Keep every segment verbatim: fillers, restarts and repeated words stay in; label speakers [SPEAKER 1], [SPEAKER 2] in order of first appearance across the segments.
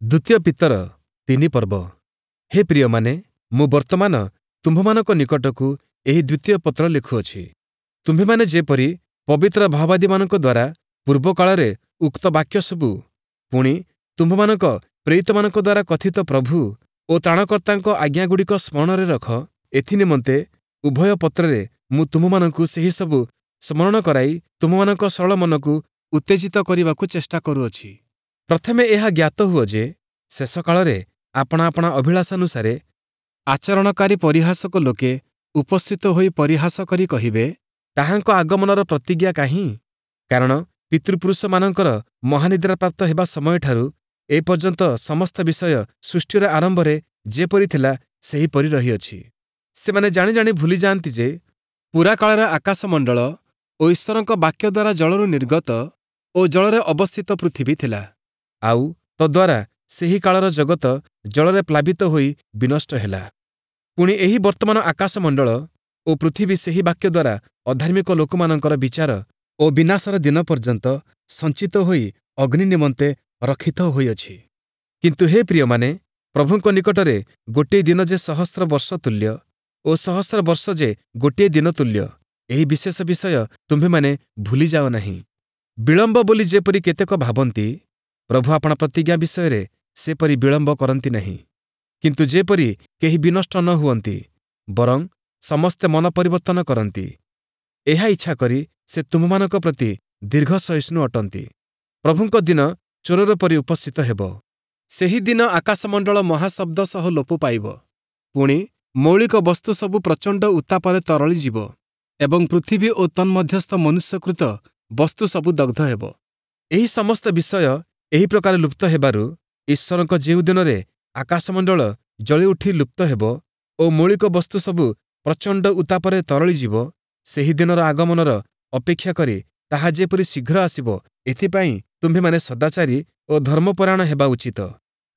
[SPEAKER 1] ଦ୍ୱିତୀୟ ପିତର ତିନି ପର୍ବ। ହେ ପ୍ରିୟମାନେ, ମୁଁ ବର୍ତ୍ତମାନ ତୁମ୍ଭମାନଙ୍କ ନିକଟକୁ ଏହି ଦ୍ୱିତୀୟ ପତ୍ର ଲେଖୁଅଛି। ତୁମ୍ଭେମାନେ ଯେପରି ପବିତ୍ର ଭାବବାଦୀମାନଙ୍କ ଦ୍ୱାରା ପୂର୍ବକାଳରେ ଉକ୍ତ ବାକ୍ୟସବୁ, ପୁଣି ତୁମ୍ଭମାନଙ୍କ ପ୍ରେରିତମାନଙ୍କ ଦ୍ୱାରା କଥିତ ପ୍ରଭୁ ଓ ତ୍ରାଣକର୍ତ୍ତାଙ୍କ ଆଜ୍ଞାଗୁଡ଼ିକ ସ୍ମରଣରେ ରଖ, ଏଥିନିମନ୍ତେ ଉଭୟ ପତ୍ରରେ ମୁଁ ତୁମ୍ଭମାନଙ୍କୁ ସେହିସବୁ ସ୍ମରଣ କରାଇ ତୁମ୍ଭମାନଙ୍କ ସରଳ ମନକୁ ଉତ୍ତେଜିତ କରିବାକୁ ଚେଷ୍ଟା କରୁଅଛି। ପ୍ରଥମେ ଏହା ଜ୍ଞାତ ହୁଅ ଯେ, ଶେଷ କାଳରେ ଆପଣା ଆପଣା ଅଭିଳାଷାନୁସାରେ ଆଚରଣକାରୀ ପରିହାସକ ଲୋକେ ଉପସ୍ଥିତ ହୋଇ ପରିହାସ କରି କହିବେ, ତାହାଙ୍କ ଆଗମନର ପ୍ରତିଜ୍ଞା କାହିଁ? କାରଣ ପିତୃପୁରୁଷମାନଙ୍କର ମହାନିଦ୍ରାପ୍ରାପ୍ତ ହେବା ସମୟଠାରୁ ଏପର୍ଯ୍ୟନ୍ତ ସମସ୍ତ ବିଷୟ ସୃଷ୍ଟିର ଆରମ୍ଭରେ ଯେପରି ଥିଲା, ସେହିପରି ରହିଅଛି। ସେମାନେ ଜାଣି ଜାଣି ଭୁଲିଯାଆନ୍ତି ଯେ, ପୁରାକାଳରେ ଆକାଶମଣ୍ଡଳ ଓ ଈଶ୍ୱରଙ୍କ ବାକ୍ୟ ଦ୍ୱାରା ଜଳରୁ ନିର୍ଗତ ଓ ଜଳରେ ଅବସ୍ଥିତ ପୃଥିବୀ ଥିଲା। ଆଉ ତଦ୍ୱାରା ସେହି କାଳର ଜଗତ ଜଳରେ ପ୍ଲାବିତ ହୋଇ ବିନଷ୍ଟ ହେଲା। ପୁଣି ଏହି ବର୍ତ୍ତମାନ ଆକାଶମଣ୍ଡଳ ଓ ପୃଥିବୀ ସେହି ବାକ୍ୟ ଦ୍ୱାରା ଅଧାର୍ମିକ ଲୋକମାନଙ୍କର ବିଚାର ଓ ବିନାଶର ଦିନ ପର୍ଯ୍ୟନ୍ତ ସଞ୍ଚିତ ହୋଇ ଅଗ୍ନି ନିମନ୍ତେ ରକ୍ଷିତ ହୋଇଅଛି। କିନ୍ତୁ ହେ ପ୍ରିୟମାନେ, ପ୍ରଭୁଙ୍କ ନିକଟରେ ଗୋଟିଏ ଦିନ ଯେ ସହସ୍ର ବର୍ଷ ତୁଲ୍ୟ ଓ ସହସ୍ର ବର୍ଷ ଯେ ଗୋଟିଏ ଦିନ ତୁଲ୍ୟ, ଏହି ବିଶେଷ ବିଷୟ ତୁମ୍ଭେମାନେ ଭୁଲିଯାଅ ନାହିଁ। ବିଳମ୍ବ ବୋଲି ଯେପରି କେତେକ ଭାବନ୍ତି, ପ୍ରଭୁ ଆପଣା ପ୍ରତିଜ୍ଞା ବିଷୟରେ ସେପରି ବିଳମ୍ବ କରନ୍ତି ନାହିଁ। କିନ୍ତୁ ଯେପରି କେହି ବିନଷ୍ଟ ନ ହୁଅନ୍ତି, ବରଂ ସମସ୍ତେ ମନ ପରିବର୍ତ୍ତନ କରନ୍ତି, ଏହା ଇଚ୍ଛା କରି ସେ ତୁମ୍ଭମାନଙ୍କ ପ୍ରତି ଦୀର୍ଘସହିଷ୍ଣୁ ଅଟନ୍ତି। ପ୍ରଭୁଙ୍କ ଦିନ ଚୋରର ପରି ଉପସ୍ଥିତ ହେବ। ସେହି ଦିନ ଆକାଶମଣ୍ଡଳ ମହାଶବ୍ଦ ସହ ଲୋପ ପାଇବ। ପୁଣି ମୌଳିକ ବସ୍ତୁ ସବୁ ପ୍ରଚଣ୍ଡ ଉତ୍ତାପରେ ତରଳିଯିବ ଏବଂ ପୃଥିବୀ ଓ ତନ୍ମଧ୍ୟସ୍ଥ ମନୁଷ୍ୟକୃତ ବସ୍ତୁ ସବୁ ଦଗ୍ଧ ହେବ। ଏହି ସମସ୍ତ ବିଷୟ ଏହି ପ୍ରକାର ଲୁପ୍ତ ହେବାରୁ ଈଶ୍ୱରଙ୍କ ଯେଉଁ ଦିନରେ ଆକାଶମଣ୍ଡଳ ଜଳିଉଠି ଲୁପ୍ତ ହେବ ଓ ମୌଳିକ ବସ୍ତୁ ସବୁ ପ୍ରଚଣ୍ଡ ଉତ୍ତାପରେ ତରଳିଯିବ, ସେହି ଦିନର ଆଗମନର ଅପେକ୍ଷା କରି ତାହା ଯେପରି ଶୀଘ୍ର ଆସିବ, ଏଥିପାଇଁ ତୁମ୍ଭେମାନେ ସଦାଚାରୀ ଓ ଧର୍ମପରାୟଣ ହେବା ଉଚିତ।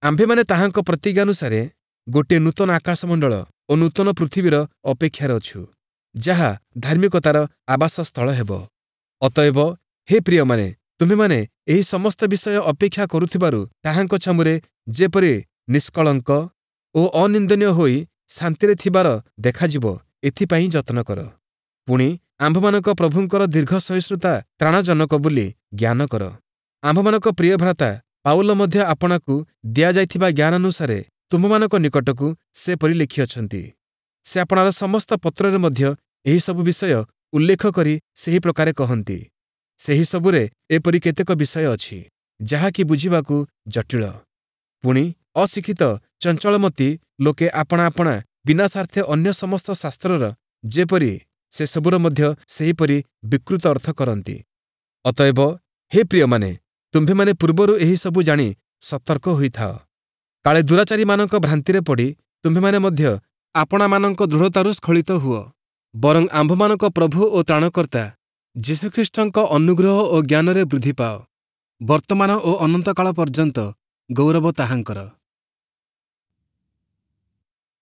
[SPEAKER 1] ଆମ୍ଭେମାନେ ତାହାଙ୍କ ପ୍ରତିଜ୍ଞାନୁସାରେ ଗୋଟିଏ ନୂତନ ଆକାଶମଣ୍ଡଳ ଓ ନୂତନ ପୃଥିବୀର ଅପେକ୍ଷାରେ ଅଛୁ, ଯାହା ଧାର୍ମିକତାର ଆବାସସ୍ଥଳ ହେବ। ଅତଏବ ହେ ପ୍ରିୟମାନେ, ତୁମ୍ଭେମାନେ ଏହି ସମସ୍ତ ବିଷୟ ଅପେକ୍ଷା କରୁଥିବାରୁ ତାହାଙ୍କ ଛାମୁରେ ଯେପରି ନିଷ୍କଳଙ୍କ ଓ ଅନିନ୍ଦନୀୟ ହୋଇ ଶାନ୍ତିରେ ଥିବାର ଦେଖାଯିବ, ଏଥିପାଇଁ ଯତ୍ନ କର। ପୁଣି ଆମ୍ଭମାନଙ୍କ ପ୍ରଭୁଙ୍କର ଦୀର୍ଘ ସହିଷ୍ଣୁତା ତ୍ରାଣଜନକ ବୋଲି ଜ୍ଞାନ କର। ଆମ୍ଭମାନଙ୍କ ପ୍ରିୟ ଭ୍ରାତା ପାଉଲ ମଧ୍ୟ ଆପଣାକୁ ଦିଆଯାଇଥିବା ଜ୍ଞାନାନୁସାରେ ତୁମ୍ଭମାନଙ୍କ ନିକଟକୁ ସେପରି ଲେଖିଅଛନ୍ତି। ସେ ଆପଣାର ସମସ୍ତ ପତ୍ରରେ ମଧ୍ୟ ଏହିସବୁ ବିଷୟ ଉଲ୍ଲେଖ କରି ସେହି ପ୍ରକାରେ କହନ୍ତି। ସେହିସବୁରେ ଏପରି କେତେକ ବିଷୟ ଅଛି, ଯାହାକି ବୁଝିବାକୁ ଜଟିଳ। ପୁଣି ଅଶିକ୍ଷିତ ଚଞ୍ଚଳମତି ଲୋକେ ଆପଣା ଆପଣା ବିନାଶାର୍ଥେ ଅନ୍ୟ ସମସ୍ତ ଶାସ୍ତ୍ରର ଯେପରି, ସେସବୁର ମଧ୍ୟ ସେହିପରି ବିକୃତ ଅର୍ଥ କରନ୍ତି। ଅତଏବ ହେ ପ୍ରିୟମାନେ, ତୁମ୍ଭେମାନେ ପୂର୍ବରୁ ଏହିସବୁ ଜାଣି ସତର୍କ ହୋଇଥାଅ। କାଳେ ଦୁରାଚାରୀମାନଙ୍କ ଭ୍ରାନ୍ତିରେ ପଡ଼ି ତୁମ୍ଭେମାନେ ମଧ୍ୟ ଆପଣାମାନଙ୍କ ଦୃଢ଼ତାରୁ ସ୍ଖଳିତ ହୁଅ। ବରଂ ଆମ୍ଭମାନଙ୍କ ପ୍ରଭୁ ଓ ତ୍ରାଣକର୍ତ୍ତା ଯୀଶୁଖ୍ରୀଷ୍ଟଙ୍କ ଅନୁଗ୍ରହ ଓ ଜ୍ଞାନରେ ବୃଦ୍ଧି ପାଅ। ବର୍ତ୍ତମାନ ଓ ଅନନ୍ତକାଳ ପର୍ଯ୍ୟନ୍ତ ଗୌରବ ତାହାଙ୍କର।